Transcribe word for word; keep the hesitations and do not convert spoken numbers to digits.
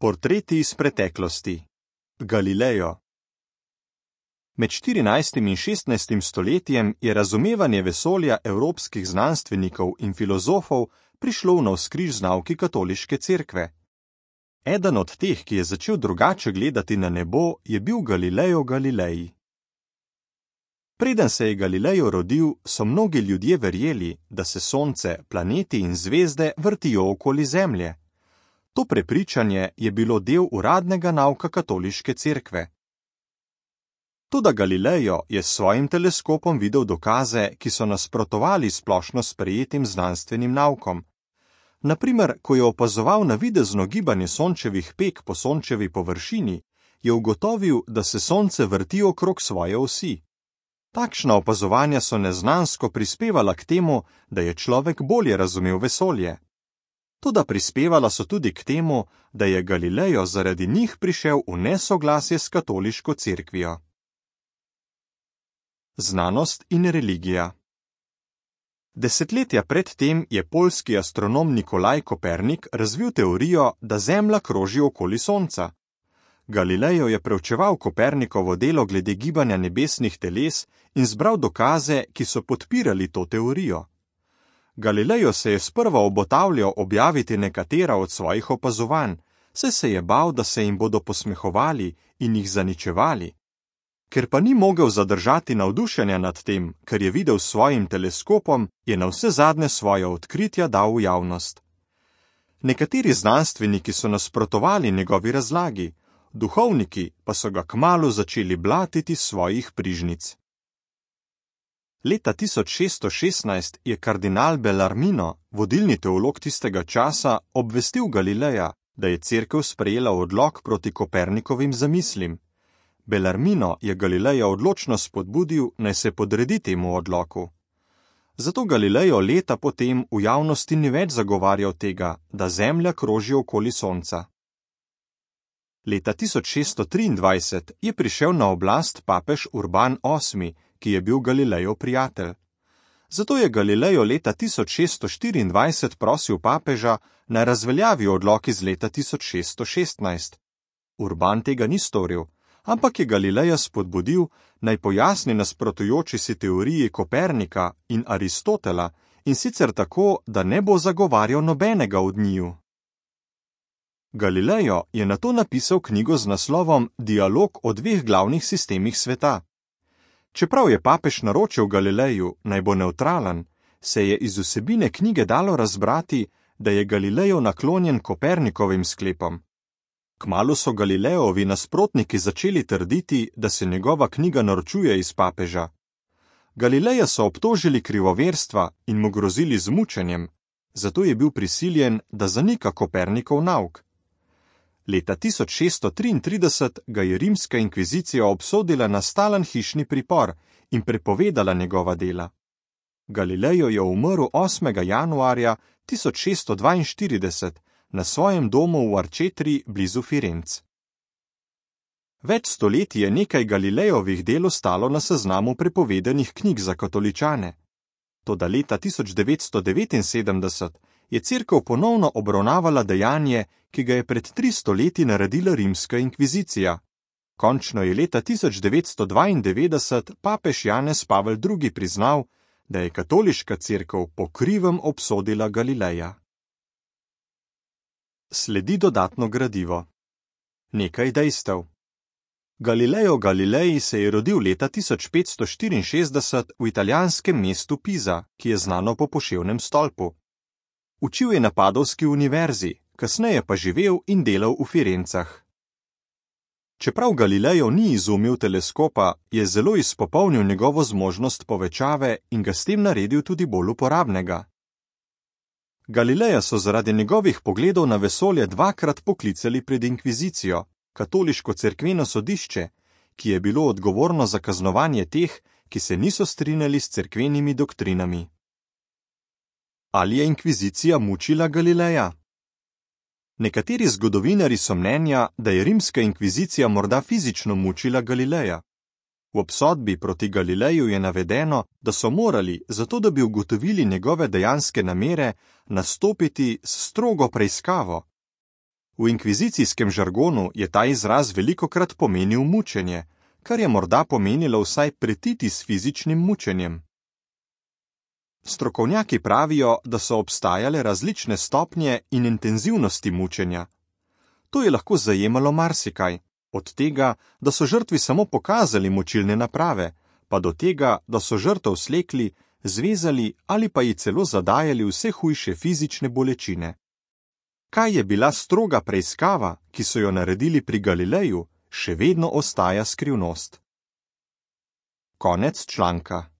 Portreti iz preteklosti. Galileo. Med štirinajstim in šestnajstim stoletjem je razumevanje vesolja evropskih znanstvenikov in filozofov prišlo v navzkriž z nauki katoliške cerkve. Eden od teh, ki je začel drugače gledati na nebo, je bil Galileo Galilei. Preden se je Galileo rodil, so mnogi ljudje verjeli, da se sonce, planeti in zvezde vrtijo okoli Zemlje. To prepričanje je bilo del uradnega nauka katoliške cerkve. Toda Galileo je s svojim teleskopom videl dokaze, ki so nasprotovali splošno sprejetim znanstvenim naukom. Na primer, ko je opazoval navidezno gibanje sončevih peg po sončevi površini, je ugotovil, da se sonce vrti okrog svoje osi. Takšna opazovanja so neznansko prispevala k temu, da je človek bolje razumel vesolje. Toda prispevala so tudi k temu, da je Galileo zaradi njih prišel v nesoglasje s katoliško cerkvijo. Znanost in religija. Desetletja pred tem je poljski astronom Nikolaj Kopernik razvil teorijo, da Zemlja kroži okoli Sonca. Galileo je preučeval Kopernikovo delo glede gibanja nebesnih teles in zbral dokaze, ki so podpirali to teorijo. Galileo se je sprva obotavljal objaviti nekatera od svojih opazovanj, saj se je bal, da se jim bodo posmehovali in jih zaničevali. Ker pa ni mogel zadržati navdušenja nad tem, kar je videl s svojim teleskopom, je navsezadnje svoja odkritja dal v javnost. Nekateri znanstveniki so nasprotovali njegovi razlagi, duhovniki pa so ga kmalu začeli blatiti svojih prižnic. Leta tisoč šeststo šestnajst je kardinal Bellarmino, vodilni teolog tistega časa, obvestil Galileja, da je cerkev sprejela odlok proti Kopernikovim zamislim. Bellarmino je Galileja odločno spodbudil, naj se podredi temu odloku. Zato Galileo leta potem v javnosti ni več zagovarjal tega, da Zemlja kroži okoli Sonca. Leta tisoč šeststo triindvajset je prišel na oblast papež Urban osmi, ki je bil Galilejev prijatelj. Zato je Galileo leta tisoč šeststo štiriindvajset prosil papeža, naj razveljavi odlok iz leta tisoč šeststo šestnajst. Urban tega ni storil, ampak je Galileja spodbudil, naj pojasni nasprotujoči si teoriji Kopernika in Aristotela, in sicer tako, da ne bo zagovarjal nobenega od njiju. Galileo je nato napisal knjigo z naslovom Dialog o dveh glavnih sistemih sveta. Čeprav je papež naročil Galileju, naj bo nevtralen, se je iz vsebine knjige dalo razbrati, da je Galileo naklonjen Kopernikovim sklepom. Kmalu so Galileovi nasprotniki začeli trditi, da se njegova knjiga norčuje iz papeža. Galileja so obtožili krivoverstva in mu grozili z mučenjem, zato je bil prisiljen, da zanika Kopernikov nauk. Leta tisoč šeststo triintrideset ga je rimska inkvizicija obsodila na stalen hišni pripor in prepovedala njegova dela. Galileo je umrl osmega januarja tisoč šeststo dvainštirideset na svojem domu v Arčetri blizu Firenc. Več stoletij je nekaj Galilejovih del ostalo na seznamu prepovedanih knjig za katoličane. Toda leta tisoč devetsto devetinsedemdeset je cerkev ponovno obravnavala dejanje, ki ga je pred tristo leti naredila rimska inkvizicija. Končno je leta tisoč devetsto dvaindevetdeset papež Janez Pavel drugi priznal, da je katoliška cerkev po krivem obsodila Galileja. Sledi dodatno gradivo. Nekaj dejstev. Galileo Galilei se je rodil leta tisoč petsto štiriinšestdeset v italijanskem mestu Pisa, ki je znano po poševnem stolpu. Učil je na Padovski univerzi, kasneje pa živel in delal v Firencah. Čeprav Galileo ni izumil teleskopa, je zelo izpopolnil njegovo zmožnost povečave in ga s tem naredil tudi bolj uporabnega. Galileja so zaradi njegovih pogledov na vesolje dvakrat poklicali pred inkvizicijo, katoliško cerkveno sodišče, ki je bilo odgovorno za kaznovanje teh, ki se niso strinjali s cerkvenimi doktrinami. Ali je inkvizicija mučila Galileja? Nekateri zgodovinarji so mnenja, da je rimska inkvizicija morda fizično mučila Galileja. V obsodbi proti Galileju je navedeno, da so morali, zato da bi ugotovili njegove dejanske namere, nastopiti s strogo preiskavo. V inkvizicijskem žargonu je ta izraz velikokrat pomenil mučenje, kar je morda pomenilo vsaj pretiti s fizičnim mučenjem. Strokovnjaki pravijo, da so obstajale različne stopnje in intenzivnosti mučenja. To je lahko zajemalo marsikaj, od tega, da so žrtvi samo pokazali mučilne naprave, pa do tega, da so žrtev slekli, zvezali ali pa ji celo zadajali vse hujše fizične bolečine. Kaj je bila stroga preiskava, ki so jo naredili pri Galileju, še vedno ostaja skrivnost. Konec članka.